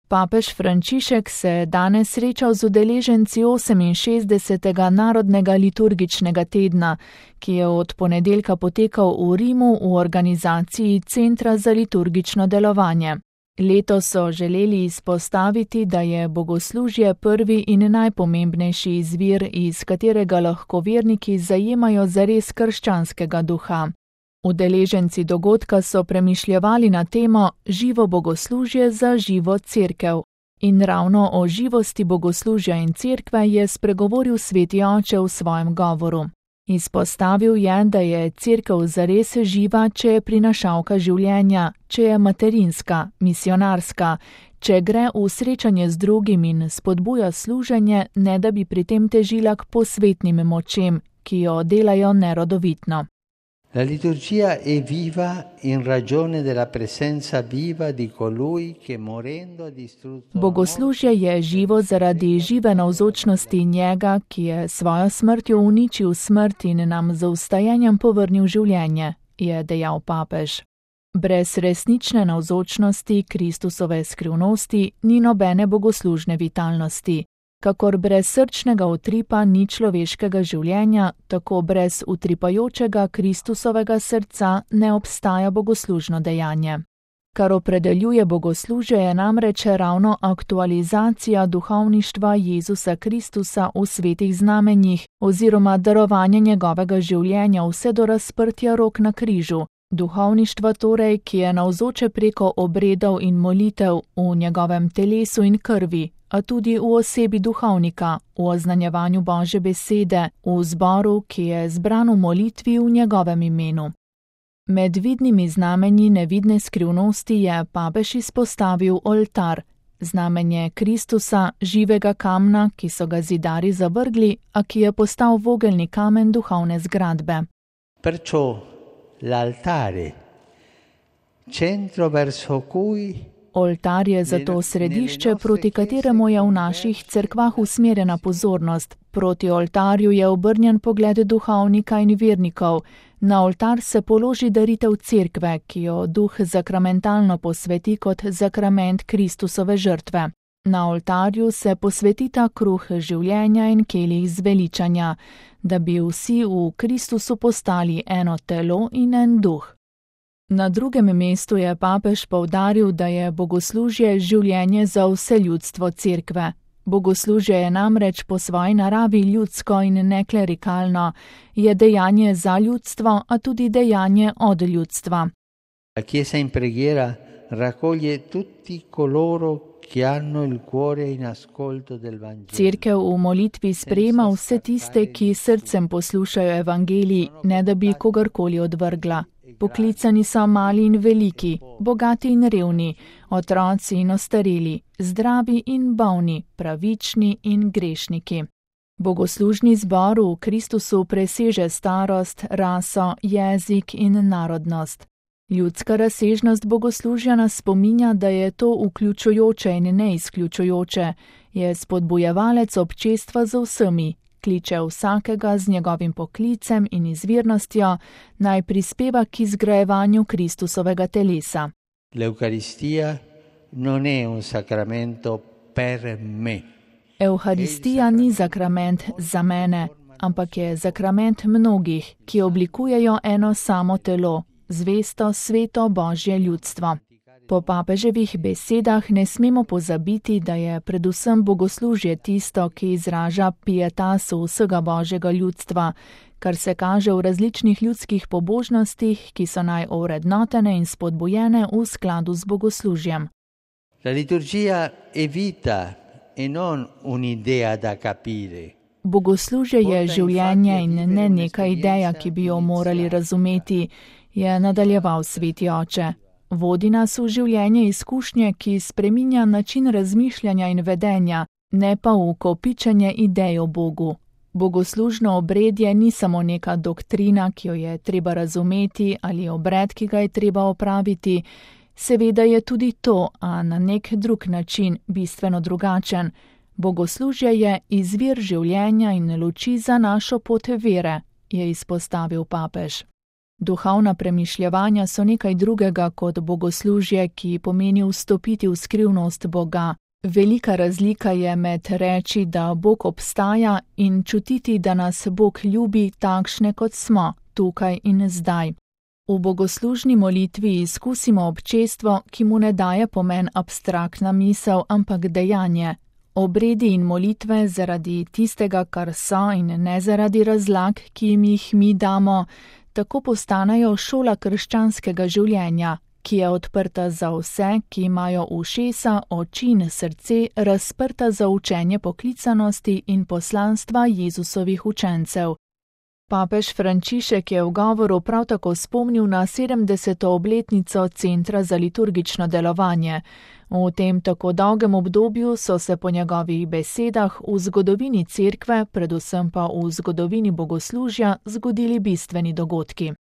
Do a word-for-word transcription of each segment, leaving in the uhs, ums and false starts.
Papež Frančišek se je danes srečal z udeleženci oseminšestdesetega Narodnega liturgičnega tedna, ki je od ponedeljka potekal v Rimu v organizaciji Centra za liturgično delovanje. Letos so želeli izpostaviti, da je bogoslužje prvi in najpomembnejši izvir, iz katerega lahko verniki zajemajo zares krščanskega duha. Udeleženci dogodka so premišljevali na temo Živo bogoslužje za živo cerkev. In ravno o živosti bogoslužja in cerkve je spregovoril sveti oče v svojem govoru. Izpostavil je, da je cerkev zares živa, če je prinašalka življenja, če je materinska, misionarska, če gre v srečanje z drugim in spodbuja služenje, ne da bi pri tem težila k posvetnim močem, ki jo delajo nerodovitno. La liturgia è viva in ragione della presenza viva di colui che morendo ha distrutto. Bogoslužje je živo zaradi žive navzočnosti njega, ki je svojo smrtjo uničil smrt in nam z vstajenjem povrnil življenje, je dejal papež. Brez resnične navzočnosti Kristusove skrivnosti ni nobene bogoslužne vitalnosti. Kakor brez srčnega utripa ni človeškega življenja, tako brez utripajočega Kristusovega srca ne obstaja bogoslužno dejanje. Kar opredeljuje bogoslužje je namreč ravno aktualizacija duhovništva Jezusa Kristusa v svetih znamenjih oziroma darovanje njegovega življenja vse do razprtja rok na križu. Duhovništva torej, ki je navzoče preko obredov in molitev v njegovem telesu in krvi, a tudi v osebi duhovnika, v oznanjevanju Božje besede, v zboru, ki je zbran v molitvi v njegovem imenu. Med vidnimi znamenji nevidne skrivnosti je papež izpostavil oltar, znamenje Kristusa, živega kamna, ki so ga zidarji zavrgli, a ki je postal vogelni kamen duhovne zgradbe. Perciò l'altare, centro verso cui Oltar je zato središče, proti kateremu je v naših cerkvah usmerjena pozornost. Proti oltarju je obrnjen pogled duhovnika in vernikov. Na oltar se položi daritev cerkve, ki jo duh zakramentalno posveti kot zakrament Kristusove žrtve. Na oltarju se posvetita kruh življenja in kelih zveličanja, da bi vsi v Kristusu postali eno telo in en duh. Na drugem mestu je papež poudaril, da je bogoslužje življenje za vse ljudstvo cerkve. Bogoslužje je namreč po svoji naravi ljudsko in neklerikalno, je dejanje za ljudstvo, a tudi dejanje od ljudstva. La Chiesa in preghiera raccoglie tutti coloro che hanno il cuore in ascolto del Vangelo. Cerkev v molitvi sprejema vse tiste, ki srcem poslušajo evangelij, ne da bi kogarkoli odvrgla. Poklicani so mali in veliki, bogati in revni, otroci in ostareli, zdravi in bolni, pravični in grešniki. Bogoslužni zbor v Kristusu preseže starost, raso, jezik in narodnost. Ljudska razsežnost bogoslužja nas spominja, da je to vključujoče in ne izključujoče, je spodbujevalec občestva z vsemi. Kliče vsakega z njegovim poklicem in izvirnostjo, naj prispeva k izgrajevanju Kristusovega telesa. L'Eucaristija non è un sacramento per me. Evharistija ni zakrament za mene, ampak je zakrament mnogih, ki oblikujejo eno samo telo, zvesto sveto Božje ljudstvo. Po papeževih besedah ne smemo pozabiti, da je predvsem bogoslužje tisto, ki izraža pietas vsega Božjega ljudstva, kar se kaže v različnih ljudskih pobožnostih, ki so naj ovrednotene in spodbujene v skladu z bogoslužjem. La liturgia è vita e non un'idea da capire. Bogoslužje je življenje in ne neka ideja, ki bi jo morali razumeti, je nadaljeval sveti oče. Vodi nas v življenje izkušnje, ki spreminja način razmišljanja in vedenja, ne pa v kopičenje idej o Bogu. Bogoslužno obredje ni samo neka doktrina, ki jo je treba razumeti, ali obred, ki ga je treba opraviti. Seveda je tudi to, a na nek drug način, bistveno drugačen. Bogoslužje je izvir življenja in luči za našo pot vere, je izpostavil papež. Duhovna premišljevanja so nekaj drugega kot bogoslužje, ki pomeni vstopiti v skrivnost Boga. Velika razlika je med reči, da Bog obstaja, in čutiti, da nas Bog ljubi takšne, kot smo, tukaj in zdaj. V bogoslužni molitvi izkusimo občestvo, ki mu ne daje pomen abstraktna misel, ampak dejanje. Obredi in molitve zaradi tistega, kar so, in ne zaradi razlag, ki jim jih mi damo, tako postanejo šola krščanskega življenja, ki je odprta za vse, ki imajo ušesa, oči in srce razprta za učenje poklicanosti in poslanstva Jezusovih učencev. Papež Frančišek je v govoru prav tako spomnil na sedemdeseto obletnico Centra za liturgično delovanje. V tem tako dolgem obdobju so se po njegovih besedah v zgodovini cerkve, predvsem pa v zgodovini bogoslužja, zgodili bistveni dogodki.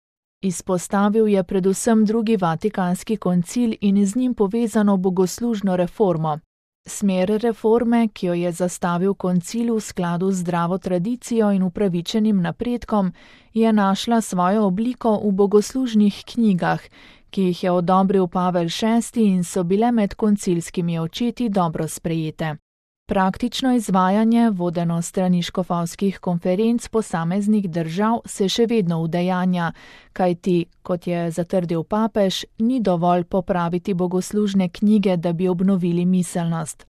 Izpostavil je predvsem drugi Vatikanski koncil in z njim povezano bogoslužno reformo. Smer reforme, ki jo je zastavil koncil v skladu z zdravo tradicijo in upravičenim napredkom, je našla svojo obliko v bogoslužnih knjigah, ki jih je odobril Pavel šesti in so bile med koncilskimi očeti dobro sprejete. Praktično izvajanje, vodeno strani škofovskih konferenc posameznih držav, se še vedno udejanja, kajti, kot je zatrdil papež, ni dovolj popraviti bogoslužne knjige, da bi obnovili miselnost.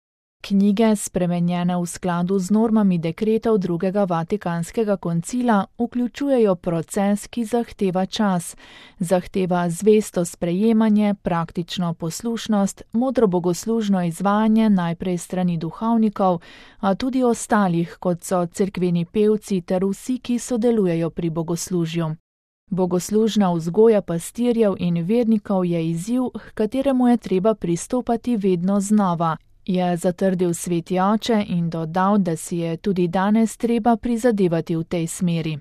Knjige, spremenjene v skladu z normami dekretov drugega Vatikanskega koncila, vključujejo proces, ki zahteva čas, zahteva zvesto sprejemanje, praktično poslušnost, modro bogoslužno izvajanje najprej strani duhovnikov, a tudi ostalih, kot so cerkveni pevci ter vsi, ki sodelujejo pri bogoslužju. Bogoslužna vzgoja pastirjev in vernikov je izziv, h kateremu je treba pristopati vedno znova, je zatrdil sveti oče in dodal, da si je tudi danes treba prizadevati v tej smeri.